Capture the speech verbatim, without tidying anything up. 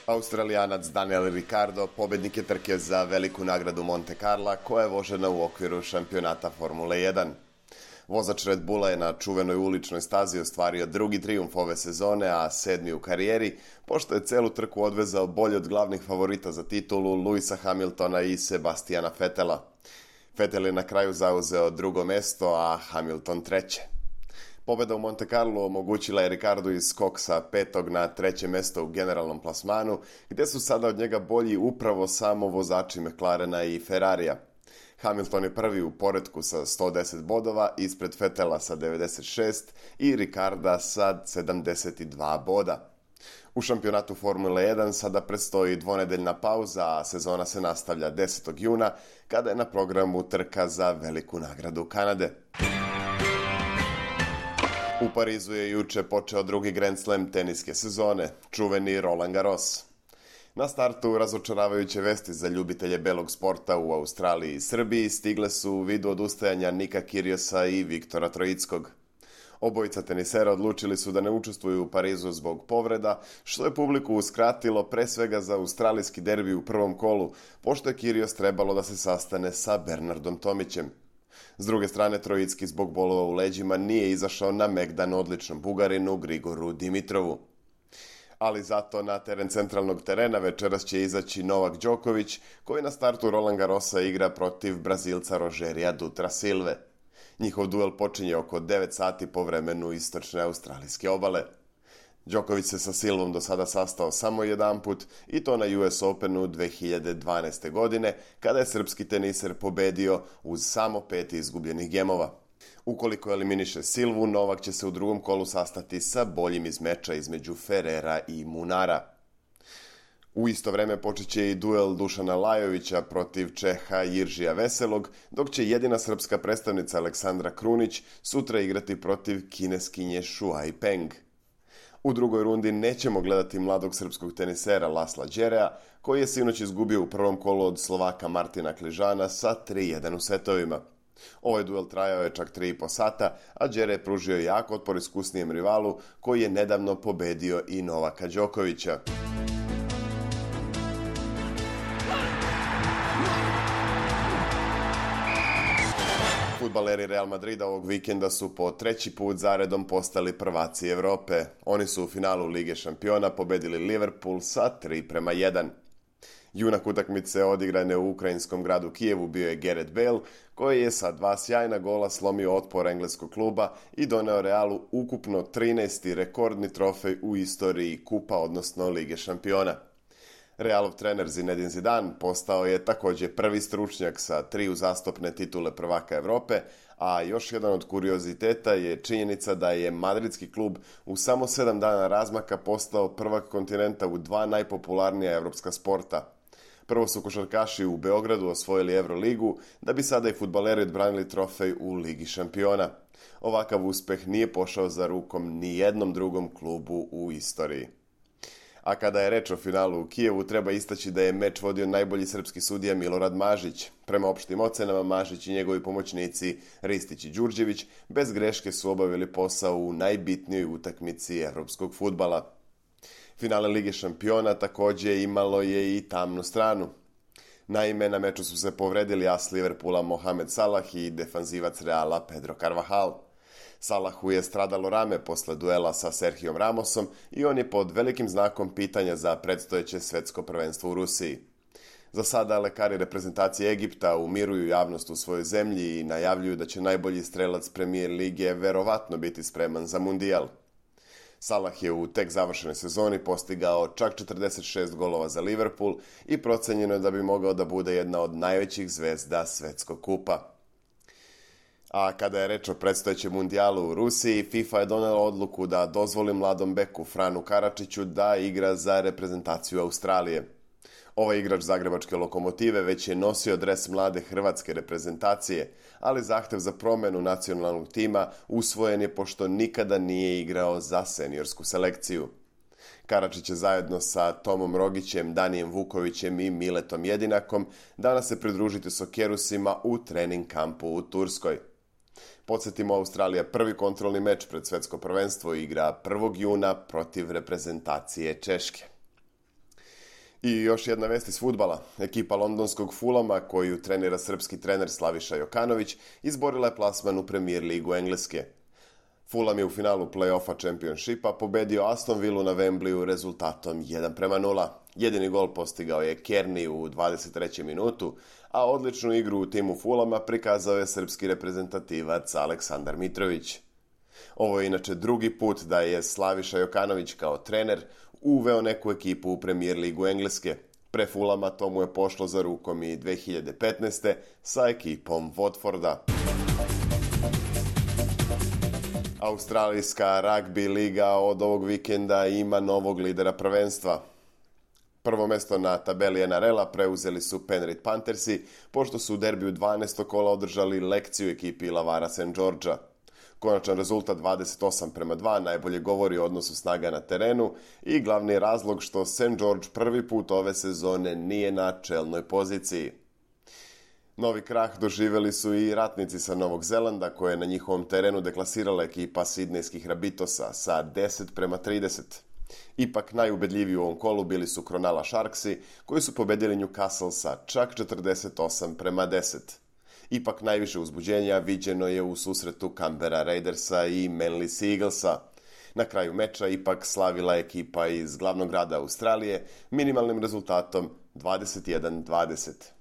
Australijanac Daniel Ricciardo pobednik je trke za veliku nagradu Monte Carla koja je vožena u okviru šampionata Formule jedan. Vozač Red Bulla je na čuvenoj uličnoj stazi ostvario drugi trijumf ove sezone, a sedmi u karijeri, pošto je celu trku odvezao bolje od glavnih favorita za titulu Lewisa Hamiltona i Sebastiana Vettela. Vettel je na kraju zauzeo drugo mesto, a Hamilton treće. Pobeda u Monte Carlo omogućila je Ricciardu i skok sa petog na treće mesto u generalnom plasmanu, gdje su sada od njega bolji upravo samo vozači McLarena i Ferrarija. Hamilton je prvi u poretku sa sto deset bodova, ispred Vettela sa devedeset šest i Ricciarda sa sedamdeset dva boda. U šampionatu Formule jedan sada predstoji dvonedeljna pauza, a sezona se nastavlja desetog juna, kada je na programu trka za veliku nagradu Kanade. U Parizu je juče počeo drugi Grand Slam teniske sezone, čuveni Roland Garros. Na startu razočaravajuće vesti za ljubitelje belog sporta u Australiji i Srbiji stigle su u vidu odustajanja Nika Kyrgiosa i Viktora Troickog. Obojica tenisera odlučili su da ne učestvuju u Parizu zbog povreda, što je publiku uskratilo pre svega za australijski derbi u prvom kolu, pošto je Kyrgios trebalo da se sastane sa Bernardom Tomićem. S druge strane, Troicki zbog bolova u leđima nije izašao na megdan odličnom Bugarinu Grigoru Dimitrovu. Ali zato na teren centralnog terena večeras će izaći Novak Đoković, koji na startu Roland Garrosa igra protiv Brazilca Rogerija Dutra Silve. Njihov duel počinje oko devet sati po vremenu istočne australijske obale. Đoković se sa Silvom do sada sastao samo jedanput i to na U S Openu dve hiljade dvanaeste. godine, kada je srpski teniser pobedio uz samo pet izgubljenih gemova. Ukoliko eliminiše Silvu, Novak će se u drugom kolu sastati sa boljim iz meča između Ferrera i Munara. U isto vreme počet će i duel Dušana Lajovića protiv Čeha Jiržija Veselog, dok će jedina srpska predstavnica Aleksandra Krunić sutra igrati protiv kineskinje Shuai Peng. U drugoj rundi nećemo gledati mladog srpskog tenisera Lasla Đerea, koji je sinoć izgubio u prvom kolu od Slovaka Martina Kližana sa tri jedan u setovima. Ovaj duel trajao je čak tri i po sata, a Đere je pružio jak otpor iskusnijem rivalu, koji je nedavno pobedio i Novaka Đokovića. Fudbaleri Real Madrida ovog vikenda su po treći put zaredom postali prvaci Evrope. Oni su u finalu Lige šampiona pobedili Liverpool sa tri prema jedan. Junak utakmice odigrane u ukrajinskom gradu Kijevu bio je Gareth Bale, koji je sa dva sjajna gola slomio otpor engleskog kluba i doneo Realu ukupno trinaesti rekordni trofej u istoriji kupa, odnosno Lige šampiona. Realov trener Zinedine Zidane postao je također prvi stručnjak sa tri uzastopne titule prvaka Evrope, a još jedan od kurioziteta je činjenica da je madridski klub u samo sedam dana razmaka postao prvak kontinenta u dva najpopularnija evropska sporta. Prvo su košarkaši u Beogradu osvojili Euroligu, da bi sada i fudbaleri odbranili trofej u Ligi šampiona. Ovakav uspeh nije pošao za rukom ni jednom drugom klubu u istoriji. A kada je reč o finalu u Kijevu, treba istaći da je meč vodio najbolji srpski sudija Milorad Mažić. Prema opštim ocenama, Mažić i njegovi pomoćnici Ristić i Đurđević bez greške su obavili posao u najbitnijoj utakmici evropskog fudbala. Finale Lige šampiona također imalo je i tamnu stranu. Naime, na meču su se povredili as Liverpoola Mohamed Salah i defanzivac Reala Pedro Carvajal. Salahu je stradalo rame posle duela sa Serhijom Ramosom i on je pod velikim znakom pitanja za predstojeće svetsko prvenstvo u Rusiji. Za sada lekari reprezentacije Egipta umiruju javnost u svojoj zemlji i najavljuju da će najbolji strelac Premier lige verovatno biti spreman za mundijal. Salah je u tek završenoj sezoni postigao čak četrdeset šest golova za Liverpool i procenjeno je da bi mogao da bude jedna od najvećih zvezda svetskog kupa. A kada je reč o predstojećem mundijalu u Rusiji, FIFA je donela odluku da dozvoli mladom beku Franu Karačiću da igra za reprezentaciju Australije. Ovaj igrač zagrebačke Lokomotive već je nosio dres mlade hrvatske reprezentacije, ali zahtev za promenu nacionalnog tima usvojen je pošto nikada nije igrao za seniorsku selekciju. Karačić je zajedno sa Tomom Rogićem, Danijem Vukovićem i Miletom Jedinakom danas se pridružiti Sokerusima u trening kampu u Turskoj. Podsjetimo, Australija prvi kontrolni meč pred svetsko prvenstvo igra prvog juna protiv reprezentacije Češke. I još jedna vest iz fudbala. Ekipa londonskog Fulama, koju trenira srpski trener Slaviša Jokanović, izborila je plasman u Premier ligu Engleske. Fulham je u finalu play-offa Championshipa pobedio Aston Villu na Wembleyu rezultatom jedan prema nula. Jedini gol postigao je Kearney u dvadeset trećem minutu, a odličnu igru u timu Fulhama prikazao je srpski reprezentativac Aleksandar Mitrović. Ovo je inače drugi put da je Slaviša Jokanović kao trener uveo neku ekipu u Premier ligu Engleske. Pre Fulhama to mu je pošlo za rukom i dve hiljade petnaeste. sa ekipom Watforda. Australijska ragbi liga od ovog vikenda ima novog lidera prvenstva. Prvo mesto na tabeli N R L-a preuzeli su Penrith Panthersi, pošto su u derbiju dvanaestog kola održali lekciju ekipi Illawarra Saint Georgea. Konačan rezultat dvadeset osam prema dva najbolje govori o odnosu snaga na terenu i glavni razlog što Saint George prvi put ove sezone nije na čelnoj poziciji. Novi krah doživjeli su i ratnici sa Novog Zelanda, koje je na njihovom terenu deklasirala ekipa sidnejskih Rabitosa sa deset prema trideset. Ipak najubedljiviji u ovom kolu bili su Cronulla Sharksi, koji su pobedili Newcastle sa čak četrdeset osam prema deset. Ipak najviše uzbuđenja viđeno je u susretu Canberra Raidersa i Manly Sea Eaglesa. Na kraju meča ipak slavila ekipa iz glavnog grada Australije minimalnim rezultatom dvadeset jedan dvadeset.